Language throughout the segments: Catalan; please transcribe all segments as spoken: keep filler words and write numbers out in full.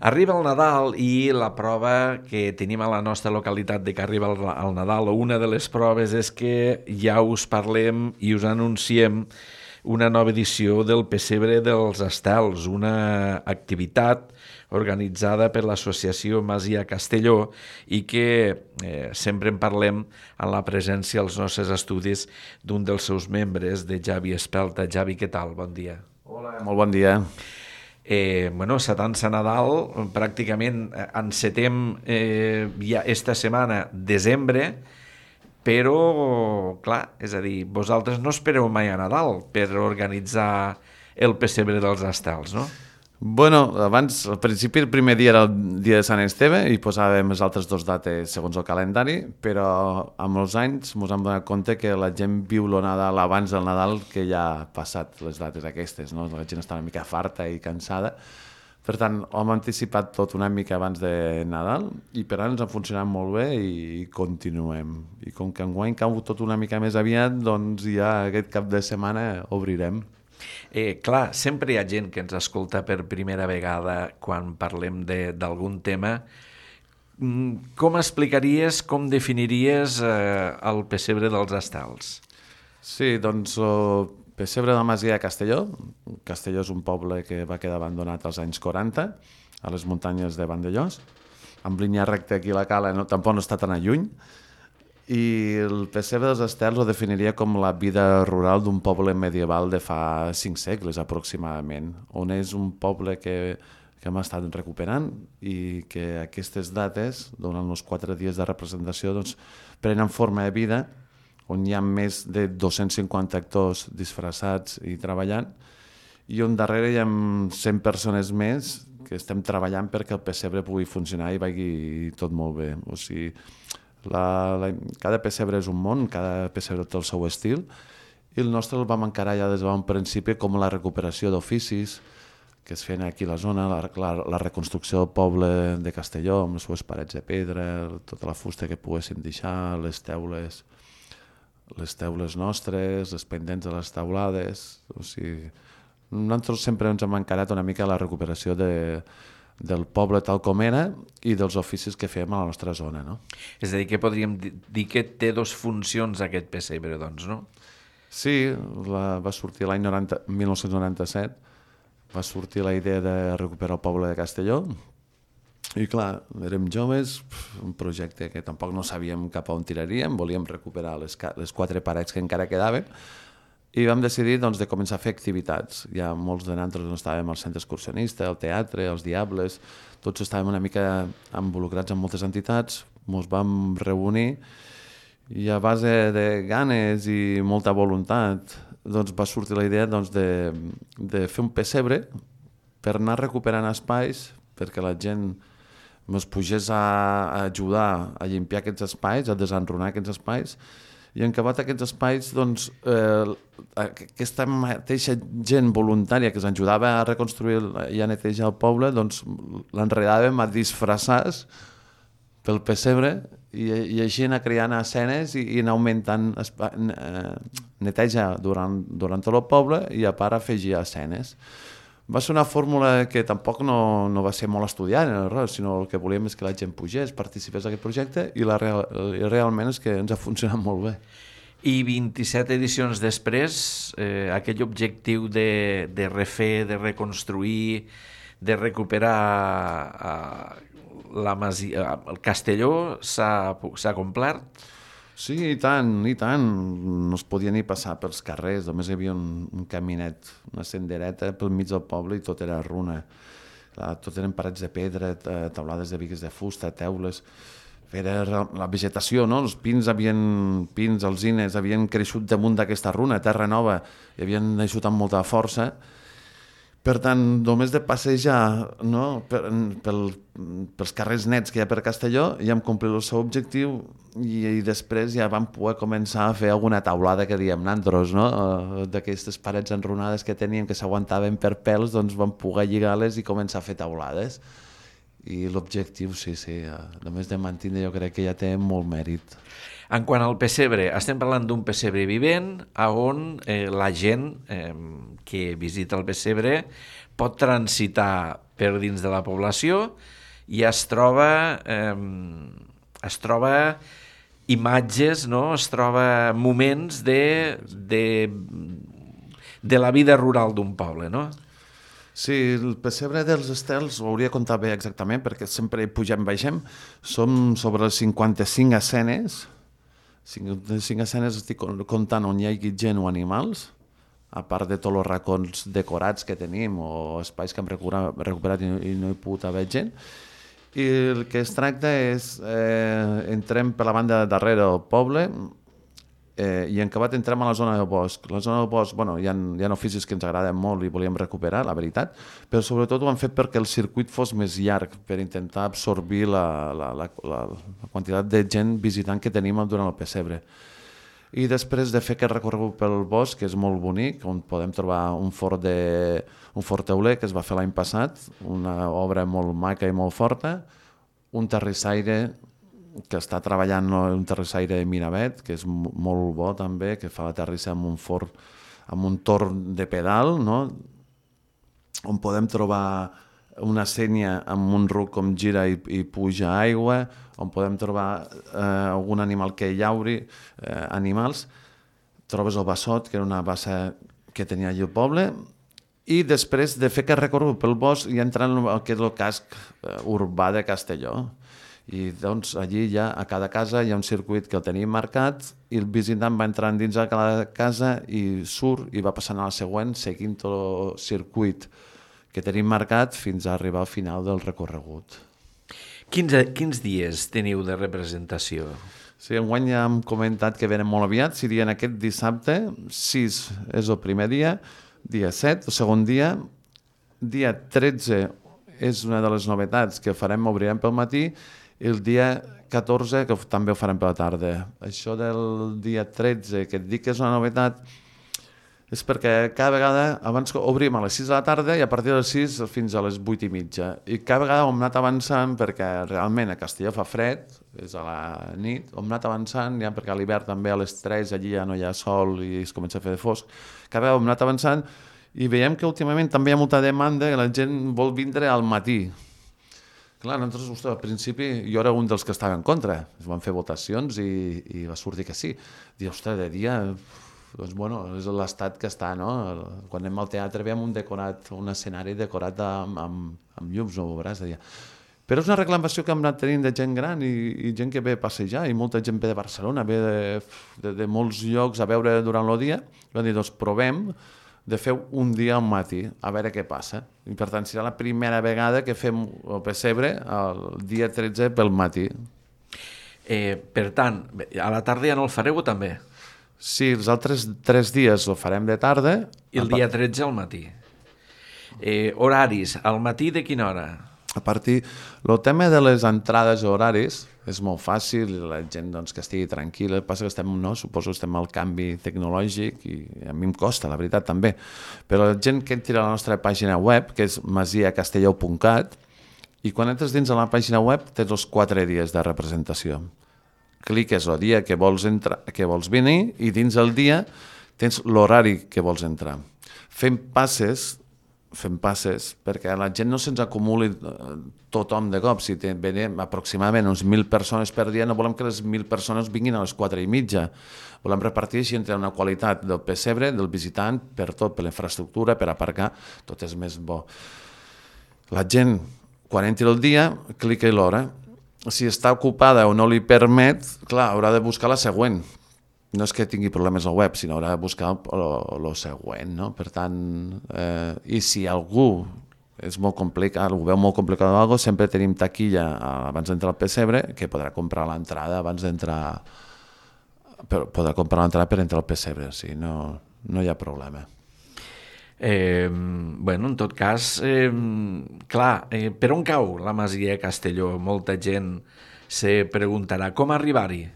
Arriba el Nadal i la prova que tenim a la nostra localitat de que arriba el, el Nadal, o una de les proves, és que ja us parlem i us anunciem una nova edició del Pessebre dels Estels, una activitat organitzada per l'associació Masia Castelló i que eh, sempre en parlem en la presència als nostres estudis d'un dels seus membres, de Javi Espelta. Javi, què tal? Bon dia. Hola, molt bon dia. Eh, bueno, sa dansa Nadal, pràcticament encetem eh, ja esta setmana, desembre, però, clar, és a dir, vosaltres no espereu mai a Nadal per organitzar el Pessebre dels Estels, no? Bueno, abans, al principi, el primer dia era el dia de Sant Esteve i posàvem les altres dues dates segons el calendari, però amb els anys ens hem donat compte que la gent viu el Nadal abans del Nadal que ja ha passat les dates aquestes, no? La gent està una mica farta i cansada. Per tant, hem anticipat tot una mica abans de Nadal i per ara ens ha funcionat molt bé i continuem. I com que enguany cau tot una mica més aviat, doncs ja aquest cap de setmana obrirem. Eh, clar, sempre hi ha gent que ens escolta per primera vegada quan parlem d'algun tema. Com explicaries, com definiries eh, el Pessebre dels Estels? Sí, doncs el Pessebre de la Masia de Castelló. Castelló és un poble que va quedar abandonat als anys quaranta, a les muntanyes de Vandellós. Amb línia recta aquí a la cala no, tampoc no està tan a lluny. I el Pessebre dels Estels ho definiria com la vida rural d'un poble medieval de fa cinc segles aproximadament, on és un poble que, que hem estat recuperant i que aquestes dates, durant els quatre dies de representació, doncs, prenen forma de vida, on hi ha més de dos-cents cinquanta actors disfressats i treballant, i on darrere hi ha cent persones més que estem treballant perquè el pessebre pugui funcionar i vagi tot molt bé. O sigui, La, la, cada pessebre és un món, cada pessebre té el seu estil i el nostre el vam encarar ja des de bon principi com la recuperació d'oficis que es feien aquí a la zona, la, la, la reconstrucció del poble de Castelló amb les seves parets de pedra, tota la fusta que poguessin deixar, les teules, les teules nostres, les pendents de les teulades. O sigui, nosaltres sempre ens hem encarat una mica la recuperació de del poble tal com era i dels oficis que fèiem a la nostra zona, no? És a dir, que podríem dir que té dos funcions aquest pessebre, doncs, no? Sí, la, va sortir l'any mil nou-cents noranta-set, va sortir la idea de recuperar el poble de Castelló i clar, érem joves, un projecte que tampoc no sabíem cap a on tiraríem, volíem recuperar les, les quatre parets que encara quedaven i vam decidir doncs, de començar a fer activitats. Ja molts de nosaltres no estàvem al centre excursionista, al teatre, als Diables, tots estàvem una mica involucrats en moltes entitats, ens vam reunir i a base de ganes i molta voluntat doncs, va sortir la idea doncs, de, de fer un pessebre per anar recuperant espais perquè la gent ens pugés a, a ajudar a limpiar aquests espais, a desenrunar aquests espais. I en acabat aquests espais, doncs, eh, aquesta mateixa gent voluntària que ens ajudava a reconstruir i a netejar el poble, doncs l'enredàvem a disfressars pel pessebre i, i així anar creant escenes i, i anar augmentant espa, eh, neteja durant, durant tot el poble i a part afegir escenes. Va ser una fórmula que tampoc no, no va ser molt estudiada, sinó el que volíem és que la gent pugés, participés en aquest projecte i, la real, i realment és que ens ha funcionat molt bé. I vint-i-set edicions després, eh, aquell objectiu de, de refer, de reconstruir, de recuperar eh, la masia, el Castelló s'ha complert? Sí, i tant, i tant. No es podia ni passar pels carrers, només hi havia un, un caminet, una sendereta pel mig del poble i tot era runa. Tot eren parets de pedra, taulades de bigues de fusta, teules. Era la vegetació, no? Els pins, havien, pins, alzines, havien creixut damunt d'aquesta runa, terra nova, i havien naixut amb molta força. Per tant, només de passejar, no, per, pel, pels carrers nets que hi ha per Castelló ja hem complit el seu objectiu i, i després ja vam poder començar a fer alguna taulada que diem nantros, no? D'aquestes parets enrunades que teníem que s'aguantaven per pèls, doncs vam poder lligar-les i començar a fer taulades. i l'objectiu, sí, sí, només de mantenir jo crec que ja té molt mèrit. En quant al pessebre, estem parlant d'un pessebre vivent on eh, la gent eh, que visita el pessebre pot transitar per dins de la població i es troba, eh, es troba imatges, no? Es troba moments de, de, de la vida rural d'un poble, no? Sí, el pessebre dels estels ho hauria de comptar bé exactament perquè sempre pugem, baixem. Som sobre les cinquanta-cinc escenes. cinquanta-cinc escenes estic comptant on hi hagi gent o animals, a part de tots els racons decorats que tenim o espais que hem recuperat i no hi ha pogut haver gent. I el que es tracta és, eh, entrem per la banda darrere del poble eh, i en acabat entrem a la zona del bosc. La zona del bosc, bueno, hi ha, hi ha oficis que ens agraden molt i volíem recuperar, la veritat, però sobretot ho hem fet perquè el circuit fos més llarg, per intentar absorbir la, la, la, la, la quantitat de gent visitant que tenim durant el pessebre. I després de fer aquest recorregut pel bosc, que és molt bonic, on podem trobar un fort, de, un fort teuler que es va fer l'any passat, una obra molt maca i molt forta, un terrissaire que està treballant, un terrissaire de Miravet, que és molt bo també, que fa la terrissa amb un fort, amb un torn de pedal, no? On podem trobar una sénia amb un ruc com gira i, i puja aigua, on podem trobar eh, algun animal que llauri, eh, animals. Trobes el bassot, que era una bassa que tenia allà el poble, i després de fer aquest recorregut pel bosc ja entrant al que és el casc eh, urbà de Castelló. I doncs allí ja a cada casa hi ha un circuit que el tenim marcat i el visitant va entrant dins de cada casa i surt i va passant a la següent seguint tot el circuit que tenim marcat fins a arribar al final del recorregut. Quins, quins dies teniu de representació? Sí, enguany ja hem comentat que venen molt aviat, serien aquest dissabte, sis és el primer dia, dia set, el segon dia, dia tretze és una de les novetats que farem, obrirem pel matí, i el dia catorze que també ho farem per la tarda. Això del dia tretze, que et dic que és una novetat, és perquè cada vegada, abans obrim a les sis de la tarda i a partir de les sis fins a les vuit i mitja. I cada vegada hem anat avançant perquè realment a Castelló fa fred, és a la nit, hem anat avançant, ja perquè a l'hivern també a les tres allí ja no hi ha sol i es comença a fer de fosc. Cada vegada hem anat avançant i veiem que últimament també hi ha molta demanda que la gent vol vindre al matí. Clar, nosaltres, ostres, al principi jo era un dels que estava en contra. Es van fer votacions i, i va sortir que sí. Dir, ostres, de dia, doncs bueno, és l'estat que està, no? Quan anem al teatre veiem un decorat, un escenari decorat amb, amb, amb llums, no ho veuràs, de dia. Però és una reclamació que hem anat tenint de gent gran i, i gent que ve a passejar, i molta gent ve de Barcelona, ve de, de, de molts llocs a veure durant el dia. I van dir, doncs provem de fer un dia al matí, a veure què passa. I per tant serà la primera vegada que fem el pessebre el dia tretze pel matí. Eh, per tant, a la tarda ja no el fareu també? Sí, els altres tres dies el farem de tarda. I el dia tretze al matí. Eh, horaris, al matí de quina hora? A partir, el tema de les entrades i horaris és molt fàcil, la gent doncs, que estigui tranquil·la, el que passa que estem, no, suposo que estem al canvi tecnològic i a mi em costa, la veritat, també. Però la gent que entri a la nostra pàgina web, que és masia castelló punt cat, i quan entres dins de la pàgina web tens els quatre dies de representació. Cliques el dia que vols, entrar, que vols venir i dins el dia tens l'horari que vols entrar. Fem passes fem passes perquè la gent no se'ns acumuli tothom de cop. Si venim aproximadament uns mil persones per dia, no volem que les mil persones vinguin a les quatre i mitja. Volem repartir així entre una qualitat del pessebre, del visitant, per tot, per la infraestructura, per aparcar, tot és més bo. La gent, quan entri el dia, clica l'hora. Si està ocupada o no li permet, clar, haurà de buscar la següent. No és que tingui problemes al web, sinó haurà de buscar el següent, no? Per tant, eh, i si algú és molt complicat, ho veu molt complicat o alguna cosa, sempre tenim taquilla abans d'entrar al pessebre, que podrà comprar l'entrada abans d'entrar, podrà comprar l'entrada per entrar al pessebre, o sigui, no, no hi ha problema. Eh, bueno, en tot cas, eh, clar, eh, per on cau la masia Castelló? Molta gent se preguntarà com arribar-hi.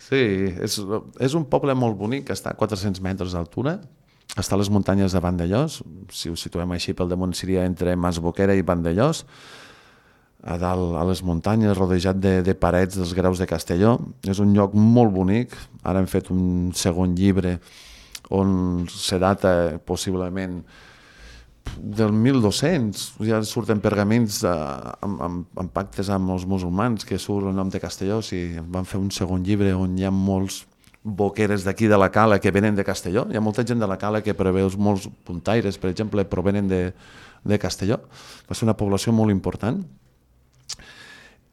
Sí, és, és un poble molt bonic, que està a quatre-cents metres d'altura, està a les muntanyes de Vandellós, si ho situem així pel damunt seria entre Masboquera i Vandellós. a dalt, a les muntanyes, rodejat de, de parets dels Graus de Castelló. És un lloc molt bonic. Ara hem fet un segon llibre on se data possiblement del mil dos-cents, ja surten pergamins de, amb, amb, amb pactes amb els musulmans que surt el nom de Castelló. O sigui, van fer un segon llibre on hi ha molts boqueres d'aquí de la Cala que venen de Castelló. Hi ha molta gent de la Cala que preveus, molts puntaires, per exemple, provenen de, de Castelló. Va ser una població molt important.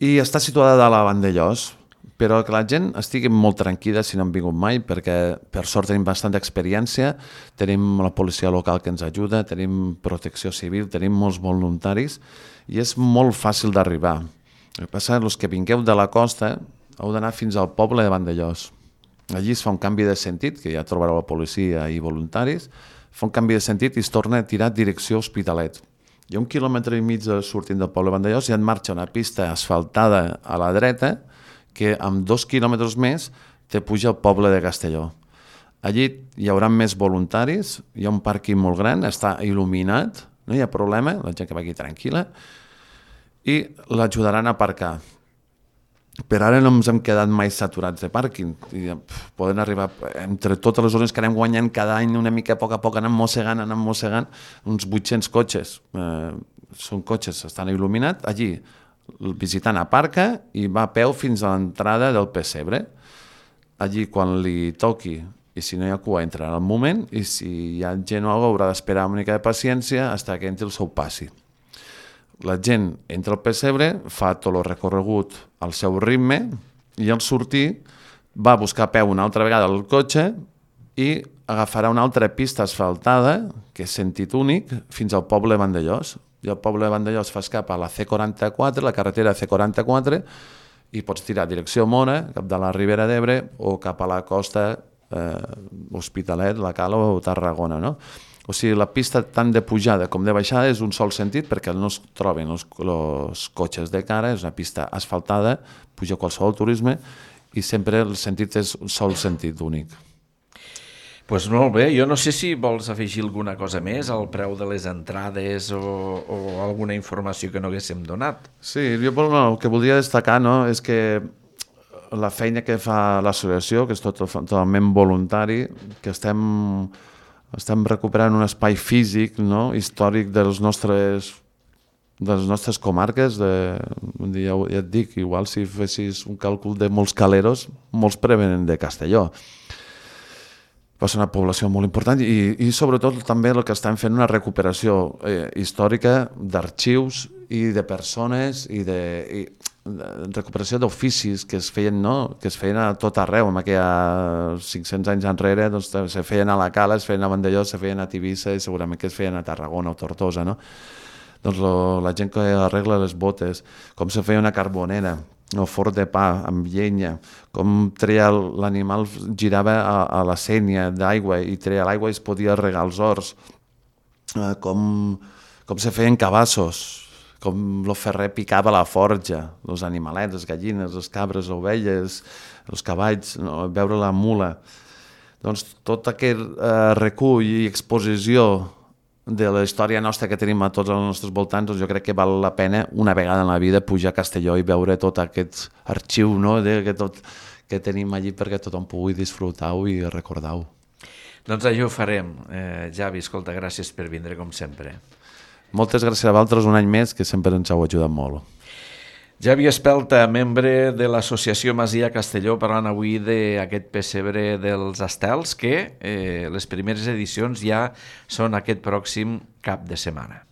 I està situada a la Vandellós, però que la gent estigui molt tranquil·la si no han vingut mai, perquè per sort tenim bastanta experiència, tenim la policia local que ens ajuda, tenim protecció civil, tenim molts voluntaris i és molt fàcil d'arribar. El que passa és que els que vingueu de la costa heu d'anar fins al poble de Vandellós. Allí es fa un canvi de sentit, que ja trobareu la policia i voluntaris, fa un canvi de sentit i es torna a tirar direcció Hospitalet. Hi ha un quilòmetre i mig sortint del poble de Vandellós i en marxa una pista asfaltada a la dreta que amb dos quilòmetres més te puja al poble de Castelló. Allí hi haurà més voluntaris, hi ha un pàrquing molt gran, està il·luminat, no hi ha problema, la gent que va aquí tranquil·la, i l'ajudaran a aparcar. Per ara no ens hem quedat mai saturats de pàrquing. I, pf, poden arribar, entre totes les zones que anem guanyant cada any, una mica a poc a poc, anem mossegant, anem mossegant, uns vuit-cents cotxes. Eh, són cotxes, estan il·luminats. Allí, el visitant aparca i va a peu fins a l'entrada del pessebre. Allí, quan li toqui, i si no hi ha cua, entrarà al moment, i si hi ha gent o alguna cosa, haurà d'esperar una mica de paciència fins que entri el seu passi. La gent entra al pessebre, fa tot el recorregut al seu ritme i al sortir va a buscar a peu una altra vegada el cotxe i agafarà una altra pista asfaltada, que és sentit únic, fins al poble de Vandellós. I el poble de Vandellós fas cap a la C quaranta-quatre, la carretera C quaranta-quatre, i pots tirar direcció Mora, cap de la Ribera d'Ebre, o cap a la costa eh, Hospitalet, la Cala o Tarragona, no? O sigui, la pista tant de pujada com de baixada és un sol sentit perquè no es troben els, els cotxes de cara, és una pista asfaltada, puja qualsevol turisme i sempre el sentit és un sol sentit únic. Doncs pues molt bé, jo no sé si vols afegir alguna cosa més al preu de les entrades o, o alguna informació que no haguéssim donat. Sí, jo no, el que voldria destacar no, és que la feina que fa l'associació, que és tot, totalment voluntari, que estem... Estem recuperant un espai físic, no? Històric de les nostres, de les nostres comarques. De, ja, ja et dic, igual si fessis un càlcul de molts caleros, molts prevenen de Castelló. Va ser una població molt important i, i sobretot també el que estem fent una recuperació eh, històrica d'arxius i de persones i de... I, recuperació d'oficis que es feien, no? Que es feien a tot arreu, amb aquella cinc-cents anys enrere, doncs, se feien a la Cala, es feien a Vandellós, se feien a Tivissa i segurament que es feien a Tarragona o Tortosa, no? Doncs lo, la gent que arregla les botes, com se feia una carbonera, o forn de pa amb llenya, com treia l'animal, girava a, a la sénia d'aigua i treia l'aigua i es podia regar els horts, eh, com, com se feien cabassos, com el ferrer picava la forja, els animalets, les gallines, les cabres, les ovelles, els cavalls, no? Veure la mula. Doncs tot aquest eh, recull i exposició de la història nostra que tenim a tots els nostres voltants, doncs jo crec que val la pena una vegada en la vida pujar a Castelló i veure tot aquest arxiu, no? de, que, tot, que tenim allí perquè tothom pugui disfrutar-ho i recordar-ho. Doncs això ho farem. Eh, Javi, escolta, gràcies per vindre com sempre. Moltes gràcies a vosaltres un any més, que sempre ens heu ajudat molt. Javi Espelta, membre de l'Associació Masia Castelló, parlant avui d'aquest pessebre dels estels, que eh, les primeres edicions ja són aquest pròxim cap de setmana.